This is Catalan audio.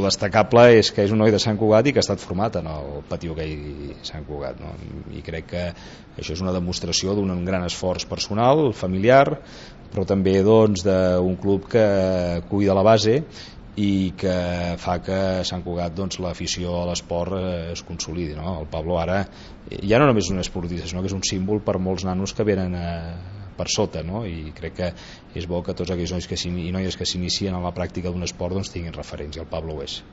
lo destacable és que és un noi de Sant Cugat i que ha estat format en el Patí Hoquei Sant Cugat, no? I crec que això és una demostració d'un gran esforç personal, familiar, però també doncs, d'un club que cuida la base i que fa que a Sant Cugat doncs, l'afició a l'esport es consolidi, no? El Pablo ara ja no només és un esportista, sinó que és un símbol per molts nanos que venen per sota, no? I crec que és bo que tots aquells nois i noies que s'inicien en la pràctica d'un esport doncs, tinguin referents, i el Pablo ho és.